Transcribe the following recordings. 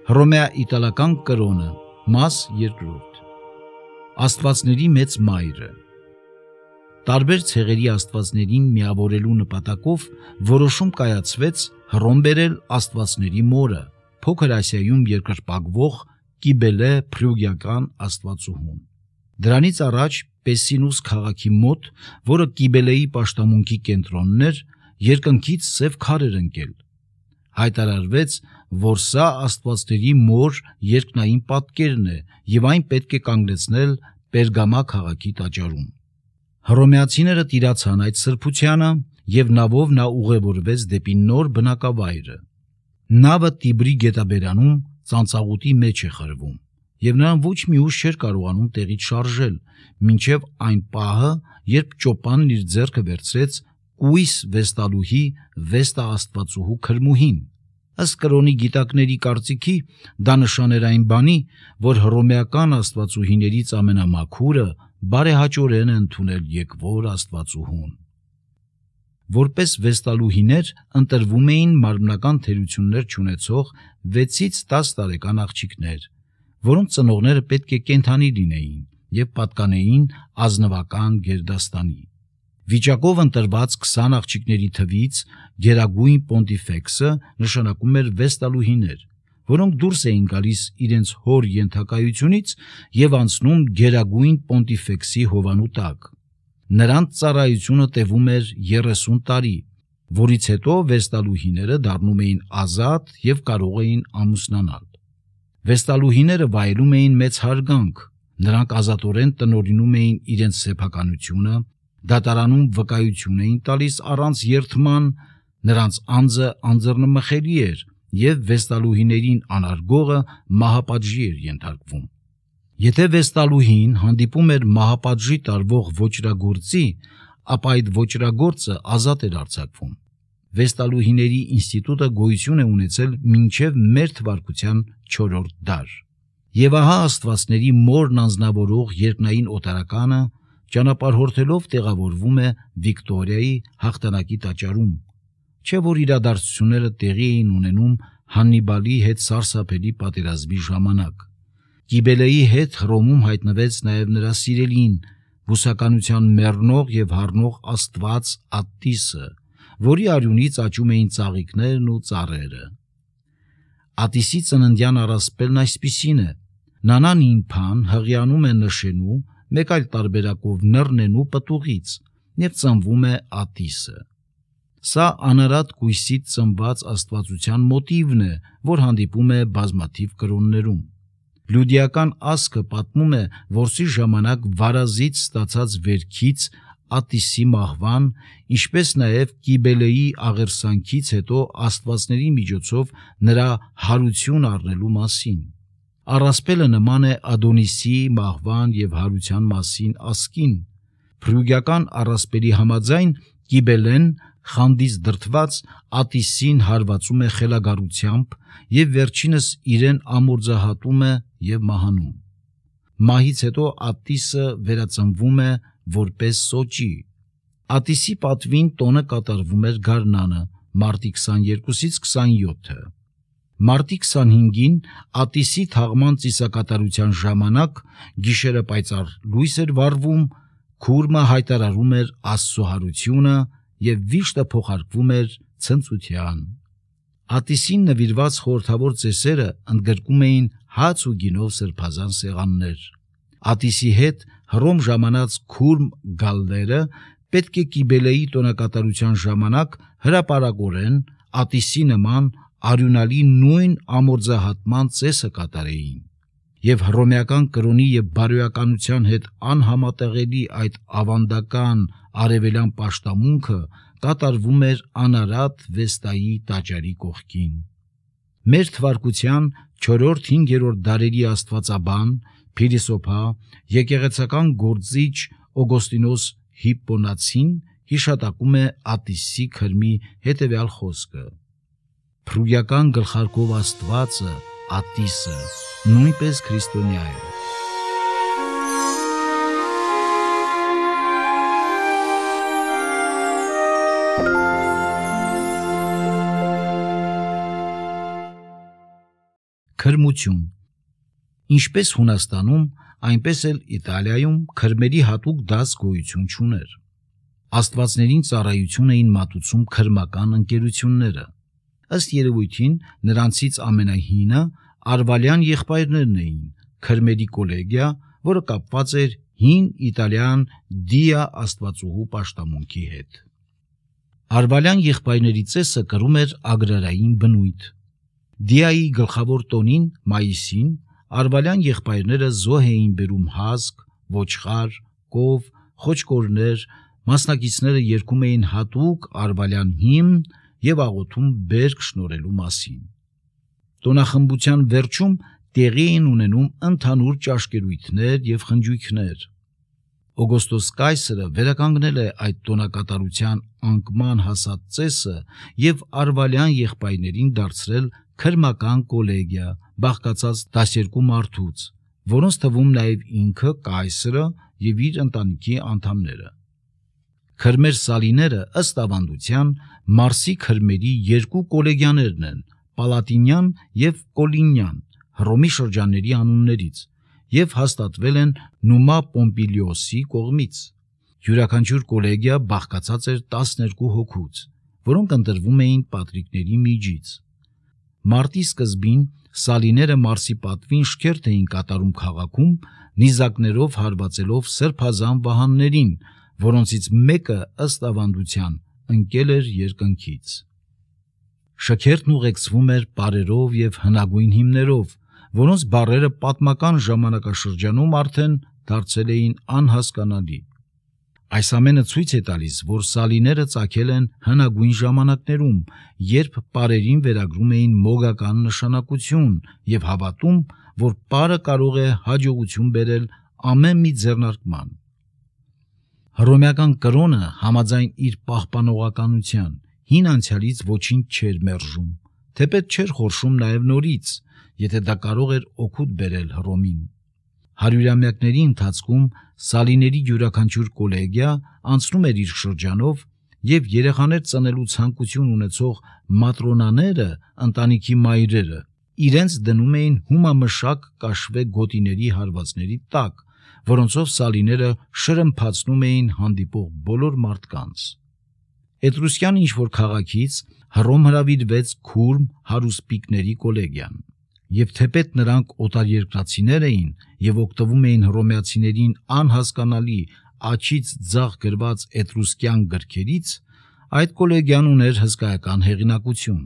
Հռոմեա-իտալական կրոնը, մաս 2։ Աստվածների մեծ մայրը։ Տարբեր ցեղերի աստվածներին միավորելու նպատակով որոշում կայացվեց Հռոմ բերել աստվածների մորը, Փոքր Ասիայում երկրպագվող Կիբելե փրուգիական աստվածուհուն։ Դրանից առաջ Պեսինուս քաղաքի մոտ, որը Կիբելեի պաշտամունքի կենտրոնն էր, երկնքից սև քար էր ընկել։ Հայտարարվեց, որ սա աստվածների մոր երկնային պատկերն է և այն պետք է կանգնեցնել Պերգամա քաղաքի տաճարում։ Հռոմեացիները տիրացան այդ սրբությանը և նավով նա ուղևորվեց դեպի նոր բնակավայրը։ Նավը Տիբրի գետաբերանում ծանծաղուտի մեջ է խրվում, և նրան ոչ մի ուժ չէր կարողանում տեղից շարժել, մինչև այն պահը, երբ ճոպանն իր ձեռքը վերցրեց կույս վեստալուհի Վեստա աստվածուհու քրմուհին։ Ըստ կրոնի գիտակների կարծիքի, դա նշան էր այն բանի, որ հռոմեական աստվածուհիներից ամենամաքուրը բարեհաճորեն է ընդունել եկվոր աստվածուհուն։ Որպես վեստալուհիներ ընտրվում էին մարմնական թերություններ չունեցող 6-ից 10 տարեկան աղջիկներ, որոնց ծնողները պետք է կենդանի լինեին և պատկանեին ազնվական գերդաստանի։ Վիճակով ընտրված 20 աղջիկների թվից Գերագույն Պոնտիֆեքսը նշանակում էր վեստալուհիներ, որոնք դուրս էին գալիս իրենց հոր ենթակայությունից և անցնում Գերագույն Պոնտիֆեքսի հովանու տակ։ Նրանց ծառայությունը տևում էր 30 տարի, որից հետո վեստալուհիները դառնում էին ազատ և կարող էին ամուսնանալ։ Վեստալուհիները վայելում էին մեծ հարգանք, նրանք ազատորեն տնօրինում էին իրենց սեփականությունը, դատարանում վկայություն էին տալիս առանց երդման, նրանց անձը անձեռնմխելի էր և վեստալուհիներին անարգողը մահապատժի էր ենթարկվում։ Եթե վեստալուհին հանդիպում էր մահապատժի տարվող ոճրագործի, ապա այդ ոճրագործը ազատ էր արձակվում։ Վեստալուհիների ինստիտուտը գոյություն է ունեցել մինչև մեր թվարկության 4-րդ դար։ Եվ ահա աստվածների մորն անձնավորող երկնային օտարականը ճանապարհորդելով տեղավորվում է Վիկտորիայի հաղթանակի տաճարում, չէ՞ որ իրադարձությունները տեղի էին ունենում Հաննիբալի հետ սարսափելի պատերազմի ժամանակ։ Կիբելեի հետ Հռոմում հայտնվեց նաև նրա սիրելին, բուսականության մեռնող և հառնող աստված Ատիսը, որի արյունից աճում էին ծաղիկներն ու ծառերը։ Ատիսի ծննդյան առասպելն այսպիսին է. Նանան իմփան հղիանում է նշենու, մեկ այլ տարբերակով նռնենու պտուղից, և ծնվում է Ատիսը։ Սա անարատ կույսից ծնված աստվածության մոտիվն է, որ հանդիպում է բազմաթիվ կրոններում։ Լյուդիական ասքը պատմում է որսի ժամանակ վարազից ստացած վերքից Ատիսի մահվան, ինչպես նաև Կիբելեի աղերսանքից հետո աստվածների միջոցով նրա հարություն առնելու մասին։ Առասպելը նման է Ադոնիսի մահվան և հարության մասին ասկին։ Փրուգիական առասպելի համաձայն Կիբելեն խանդից դրդված Ատիսին հարվածում է խելագարությամբ և վերջինս իրեն ամորձահատում է և մահանում։ Մահից հետո Ատիսը վերածնվում է որպես սոճի։ Ատիսի պատվին տոնը կատարվում էր գարնանը, մարտի 22-ից 27-ը։ Մարտի 25-ին Ատիսի թաղման ծիսակատարության ժամանակ գիշերը պայծառ լույս էր վառվում, քուրմը հայտարարում էր Աստծո հարությունը և վիշտը փոխարկվում էր ցնծության։ Ատիսին նվիրված խորհրդավոր ծեսերը ընդգրկում էին հաց ու գինով սրբազան սեղաններ։ Ատիսի հետ Հռոմ ժամանած քուրմ գալլերը պետք է Կիբելեի տոնակատարության ժամանակ հրապարակորեն Ատիսի նման արյունալի նույն ամորձահատման ծեսը կատարեին։ Եվ հռոմեական կրոնի և բարոյականության հետ անհամատեղելի այդ ավանդական արևելյան պաշտամունքը կատարվում էր անարատ Վեստայի տաճարի կողքին։ Մեր թվարկության 4-5-րդ դարերի աստվածաբան, փիլիսոփա, եկեղեցական գործիչ Օգոստինոս Հիպպոնացին հիշատակում է Ատիսի քրմի հետևյալ խոսքը. Փրուգիական գլխարկով աստվածը Ատիսը նույնպես քրիստոնյա է։ Քրմություն։ Ինչպես Հունաստանում, այնպես էլ Իտալիայում քրմերի հատուկ դաս գոյություն չուներ։ Աստվածներին ծառայություն էին մատուցում քրմական ընկերությունները։ Ըստ երևույթին նրանցից ամենահինը արվալյան եղբայրներն էին, քրմերի կոլեգիա, որը կապված էր հին իտալյան Դիա աստվածուհու պաշտամունքի հետ։ Արվալյան եղբայրների ծեսը կրում էր ագրարային բնույթ։ Դիայի գլխավոր տոնին, մայիսին, արվալյան եղբայրները զոհ էին բերում հասկ, ոչխար, կով, խոչկորներ, մասնակիցները երգում էին հատուկ արվալյան հիմն և աղոթում բերք շնորհելու մասին։ Տոնախմբության վերջում տեղի էին ունենում ընդհանուր ճաշկերույթներ և խնջույքներ։ Օգոստոս կայսրը վերականգնել է այդ տոնակատարության անկման հասած ծեսը և արվալյան եղբայրներին դարձրել քրմական կոլեգիա, բաղկացած 12 մարդուց, որոնց թվում նաև ինքը կայսրը և իր ընտանիքի անդամները։ Քրմեր սալիները ըստ ավանդության Մարսի քրմերի երկու կոլեգիաներն են՝ Պալատինյան և Կոլինյան, Հռոմի շրջանների անուններից, և հաստատվել են Նումա Պոմպիլիոսի կողմից։ Յուրաքանչյուր կոլեգիա բաղկացած էր 12 հոգուց, որոնք ընտրվում էին պատրիկների միջից։ Մարտի սկզբին սալիները Մարսի պատվին շքերթ էին կատարում քաղաքում, նիզակներով հարվածելով սրբազան վահաններին, որոնցից մեկը ըստ ավանդության ընկել էր երկնքից։ Շքերթն ուղեկցվում էր պարերով և հնագույն հիմներով, որոնց բառերը պատմական ժամանակաշրջանում արդեն դարձել էին անհասկանալի։ Այս ամենը ցույց է տալիս, որ սալիները ծագել են հնագույն ժամանակներում, երբ պարերին վերագրում էին մոգական նշանակություն և հավատում, որ պարը կարող է հաջողություն բերել ամեն մի ձեռնարկման։ Հռոմեական կրոնը համաձայն իր պահպանողականության հին անցյալից ոչինչ չէր մերժում, թեպետ չէր խորշում նաև նորից, եթե դա կարող էր օգուտ բերել Հռոմին։ Հարյուրամյակների ընթացքում սալիների յուրաքանչյուր կոլեգիա անցնում էր իր շրջանով, և երեխաներ ծնելու ցանկություն ունեցող մատրոնաները, ընտանիքի մայրերը, իրենց դնում էին հումամշակ կաշվե գոտիների հարվածների տակ, որոնցով սալիները շրմփացնում էին հանդիպող բոլոր մարդկանց։ Էտրուսկյան ինչ-որ քաղաքից Հռոմ հրավիրվեց քուրմ հարուսպիկների կոլեգիան, և թեպետ նրանք օտարերկրացիներ էին և օգտվում էին հռոմեացիներին անհասկանալի աջից ձախ գրված էտրուսկյան գրքերից, այդ կոլեգիան ուներ հսկայական հեղինակություն։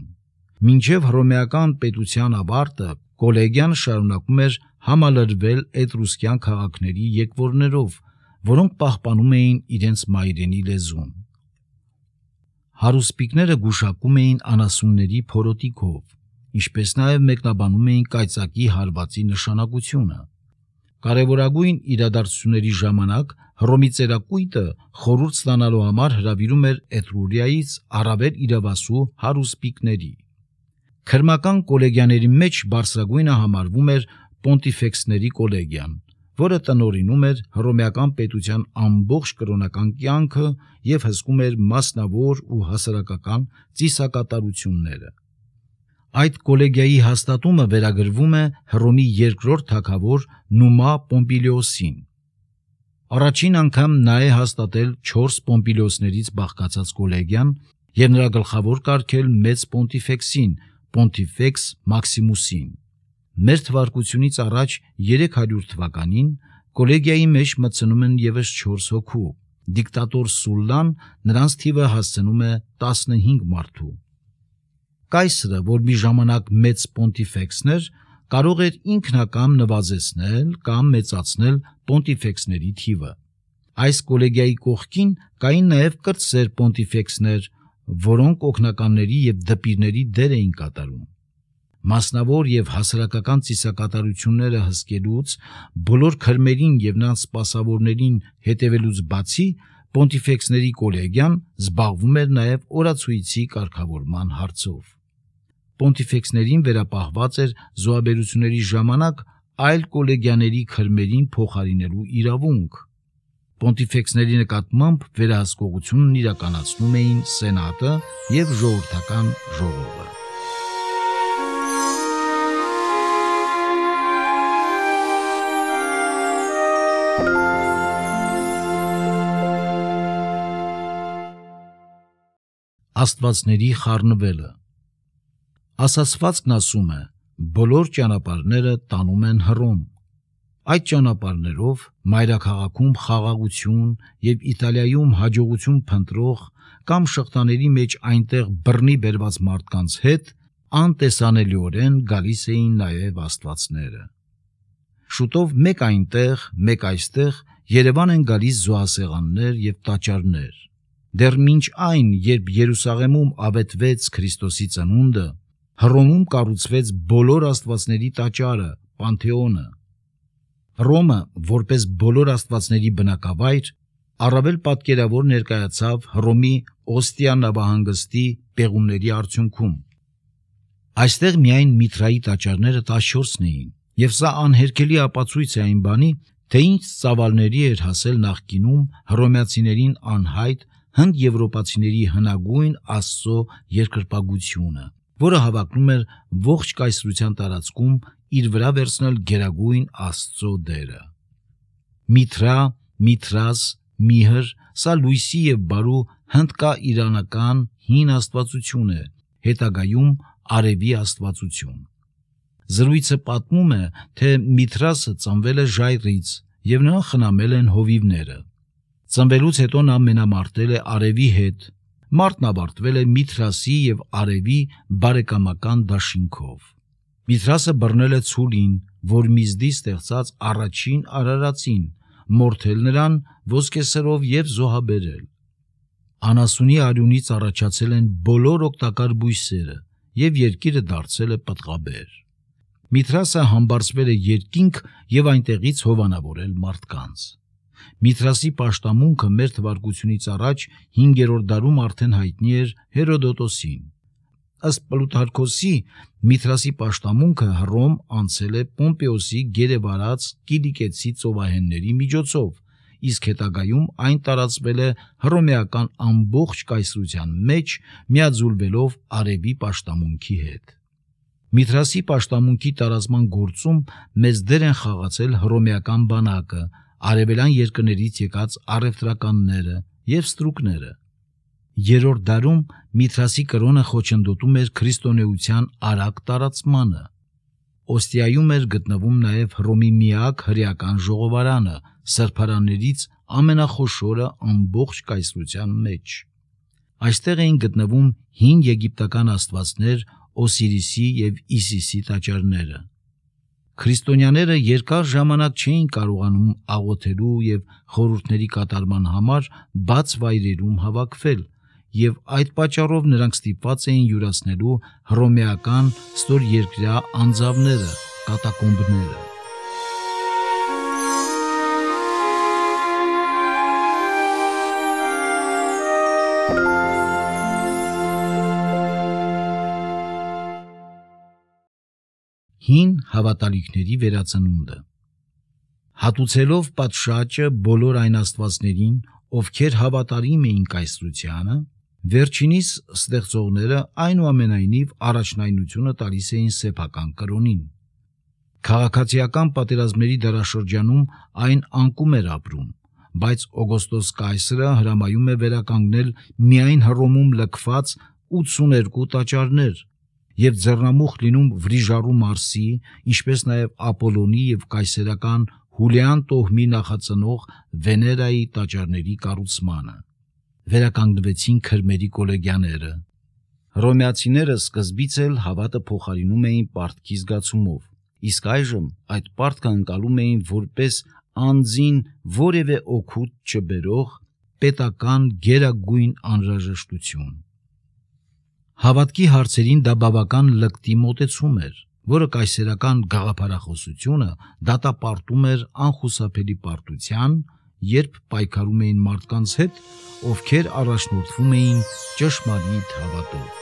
Մինչև հռոմեական պետության ավարտը կոլեգիան շարունակում էր համալրվել էտրուսկյան քաղաքների եկվորներով, որոնք պահպանում էին իրենց մայրենի լեզուն։ Հարուսպիկները գուշակում էին անասունների փորոտիքով, ինչպես նաև մեկնաբանում էին կայծակի հարվածի նշանակությունը։ Կարևորագույն իրադարձությունների ժամանակ Հռոմի ծերակույտը խորհուրդ ստանալու համար հրավիրում էր Էտրուրիայից առավել իրավասու հարուսպիկների։ Քրմական կոլեգիաների մեջ բարձրագույնը համարվում էր Պոնտիֆեքսների կոլեգիան, որը տնօրինում էր հռոմեական պետության ամբողջ կրոնական կյանքը և հսկում էր մասնավոր ու հասարակական ծիսակատարությունները։ Այդ կոլեգիայի հաստատումը վերագրվում է Հռոմի երկրորդ թագավոր Նումա Պոմպիլիոսին։ Առաջին անգամ նա է հաստատել 4 Պոմպիլիոսներից բաղկացած կոլեգիան և նրա գլխավոր կարգել մեծ Պոնտիֆեքսին, Պոնտիֆեքս Մաքսիմուսին։ Մեր թվարկությունից առաջ 300 թվականին կոլեգիայի մեջ մտցնում են ևս 4 հոգու։ Դիկտատոր Սուլլան նրանց թիվը հասցնում է 15 մարդու։ Կայսրը, որ մի ժամանակ մեծ Պոնտիֆեքսն էր, կարող էր ինքնակամ նվազեցնել կամ մեծացնել Պոնտիֆեքսների թիվը։ Այս կոլեգիայի կողքին կային նաև կրտսեր Պոնտիֆեքսներ, որոնք օգնականների և դպիրների դեր էին կատարում։ Մասնավոր և հասարակական ծիսակատարությունները հսկելուց, բոլոր քրմերին և նրանց սպասավորներին հետևելուց բացի, Պոնտիֆեքսների կոլեգիան զբաղվում էր նաև օրացույցի կարգավորման հարցով։ Պոնտիֆեքսներին վերապահված էր զոհաբերությունների ժամանակ այլ կոլեգիաների քրմերին փոխարինելու իրավունք։ Պոնտիֆեքսների նկատմամբ վերահսկողությունն իրականացնում էին Սենատը և ժողովրդական ժողովը։ Աստվածների խառնվելը։ Ասացվածքն ասում է. բոլոր ճանապարհները տանում են Հռոմ։ Այդ ճանապարհներով մայրաքաղաքում խաղաղություն եւ Իտալիայում հաջողություն փնտրող կամ շղթաների մեջ այնտեղ բռնի բերված մարդկանց հետ անտեսանելիորեն գալիս էին նաեւ աստվածները։ Շուտով մեկ այնտեղ, մեկ այստեղ Երևան են գալիս զոհասեղաններ եւ տաճարներ։ Դեռ մինչ այն, երբ Երուսաղեմում ավետվեց Քրիստոսի ծնունդը, Հռոմում կառուցվեց բոլոր աստվածների տաճարը, Պանթեոնը։ Հռոմը, որպես բոլոր աստվածների բնակավայր, առավել պատկերավոր ներկայացավ Հռոմի Օստիա նավահանգստի պեղումների արդյունքում։ Այստեղ միայն Միթրայի տաճարները 14-ն էին, եւ սա անհերքելի ապացույց է այն բանի, թե ինչ ծավալների էր հասել նախկինում հռոմեացիներին անհայտ հնդեվրոպացիների հնագույն Աստծո երկրպագությունը, որը հավակնում էր ողջ կայսրության տարածքում իր վրա վերցնել գերագույն Աստծո դերը։ Միթրա, Միթրաս, Միհր, սա լույսի եւ բարու հնդկա-իրանական հին աստվածություն է, հետագայում արևի աստվածություն։ Զրույցը պատմում է, թե Միթրասը ծնվել է ժայռից եւ նրան խնամել են հովիվները։ Ծնվելուց հետո նա մենամարտել է արևի հետ։ Մարտն ավարտվել է Միթրասի եւ արևի բարեկամական դաշինքով։ Միթրասը բռնել է ցուլին, որ Միզդի ստեղծած առաջին արարածին, մորթել նրան ոսկեսրով եւ զոհաբերել։ Անասունի արյունից առաջացել են բոլոր օգտակար բույսերը եւ երկիրը դարձել է պտղաբեր։ Միթրասը համբարձվել է երկինք եւ այնտեղից հովանավորել մարդկանց։ Միթրասի պաշտամունքը մեր թվարկությունից առաջ 5-րդ դարում արդեն հայտնի էր Հերոդոտոսին։ Ըստ Պլութարքոսի, Միթրասի պաշտամունքը Հռոմ անցել է Պոմպեոսի գերեվարած կիլիկեցի ծովահենների միջոցով, իսկ հետագայում այն տարածվել է հռոմեական ամբողջ կայսրության մեջ, միաձուլվելով արևի պաշտամունքի հետ։ Միթրասի պաշտամունքի տարածման գործում մեծ դեր են խաղացել հռոմեական բանակը, արևելյան երկրներից եկած առևտրականները եւ ստրուկները։ Երրորդ դարում Միթրասի կրոնը խոչընդոտում էր քրիստոնեության արագ տարածմանը։ Օստիայում էր գտնվում նաև Հռոմի միակ հրեական ժողովարանը, սրբարաններից ամենախոշորը ամբողջ կայսրության մեջ։ Այստեղ էին գտնվում հին եգիպտական աստվածներ Օսիրիսի եւ Իսիսի տաճարները։ Քրիստոնյաները երկար ժամանակ չէին կարողանում աղոթելու եւ խորհուրդների կատարման համար բաց վայրերում հավաքվել, եւ այդ պատճառով նրանք ստիպված էին յուրացնելու հռոմեական ստորերկրյա անձավները, կատակոմբները։ Հին հավատալիքների վերածնունդը։ Հատուցելով պատշաճը բոլոր այն աստվածներին, ովքեր հավատարիմ էին կայսրությանը, վերջինիս ստեղծողները այնուամենայնիվ առաջնայնությունը տալիս էին սեփական կրոնին։ Քաղաքացիական պատերազմների դարաշրջանում այն անկում էր ապրում, բայց Օգոստոս կայսրը հրամայում է վերականգնել միայն Հռոմում լքված 82 տաճարներ եւ ձեռնամուխ լինում Վրիժառու Մարսի, ինչպես նաեւ Ապոլոնի եւ կայսերական Հուլիան տոհմի նախածնող Վեներայի տաճարների կառուցմանը։ Վերականգնվեցին քրմերի կոլեգիաները։ Հռոմեացիները սկզբից էլ հավատը փոխարինում էին պարտքի զգացումով, իսկ այժմ այդ պարտքը ընկալում էին որպես անձին որևէ օգուտ չբերող պետական գերագույն անհրաժեշտություն։ Հավատքի հարցերին դա բավական լկտի մոտեցում էր, որը կայսերական գաղափարախոսությունը դատապարտում էր անխուսափելի պարտության, երբ պայքարում էին մարդկանց հետ, ովքեր առաջնորդվում էին ճշմարիտ հավատով։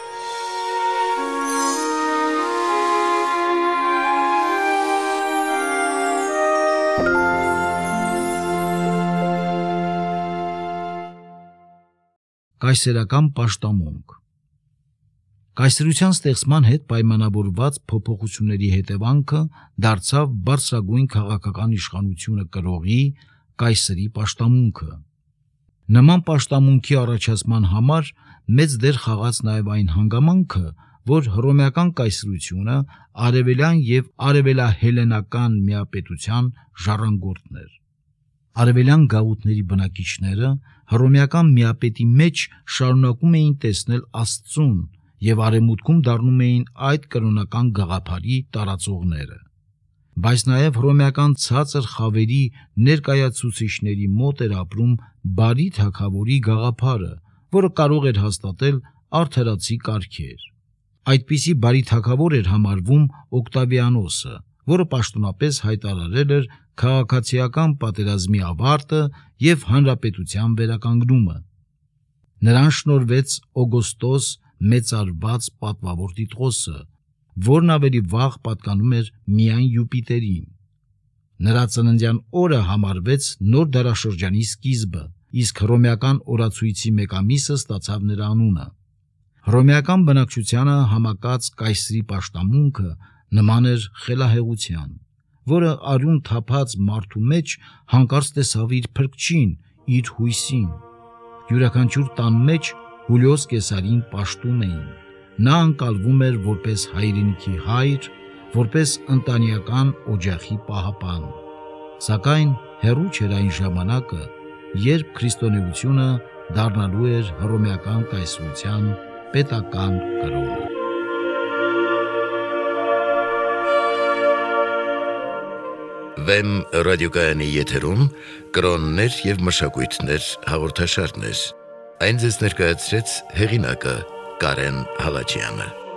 Կայսերական պաշտամունք։ Կայսրության ստեղծման հետ պայմանավորված փոփոխությունների հետևանքը դարձավ բարձրագույն քաղաքական իշխանությունը կրողի կայսրի պաշտամունքը։ Նման պաշտամունքի առաջացման համար մեծ դեր խաղաց նաև այն հանգամանքը, որ հռոմեական կայսրությունը արևելյան եւ արևելահելենական միապետության ժառանգորդն էր։ Արևելյան գաղութների բնակիչները հռոմեական միապետի մեջ շարունակում էին տեսնել Աստծուն եւ արևմուտքում դառնում էին այդ կրոնական գաղափարի տարածողները։ Բայց նաև հռոմեական ցածր խավերի ներկայացուցիչների մոտ էր ապրում բարի թագավորի գաղափարը, որը կարող էր հաստատել արդարացի կարգեր։ Այդպիսի բարի թագավոր էր համարվում Օկտավիանոսը, որը պաշտոնապես հայտարարել էր քաղաքացիական պատերազմի ավարտը եւ հանրապետության վերականգնումը։ Նրան շնորհվեց Օգոստոս մեծարված պատվավոր Տիտղոսը, որն ավելի վաղ պատկանում էր միայն Յուպիտերին։ Նրա ծննդյան օրը համարվեց նոր դարաշրջանի սկիզբը, իսկ հռոմեական օրացույցի մեկամիսը ստացավ նրա անունը։ Հռոմեական բնակչությանը համակած կայսրի պաշտամունքը նման էր խելահեղության, որը արյուն թափած մարդու մեջ հանկարծ տեսավ իր փրկչին, իր հույսին։ Յուրաքանչյուր տան մեջ Հուլիոս Կեսարին պաշտում էին։ Նա ընկալվում էր որպես հայրենիքի հայր, որպես ընտանեկան օջախի պահապան։ Սակայն հեռու չէր այն ժամանակը, երբ քրիստոնեությունը դառնալու էր հռոմեական կայսրության պետական կրոնը։ Վեմ ռադիոկայանի եթերում կրոններ եւ մշակույթներ հաղորդաշարներ։ Այն ձեզ ներկայացրեց հեղինակը Կարեն Հալաջյանը։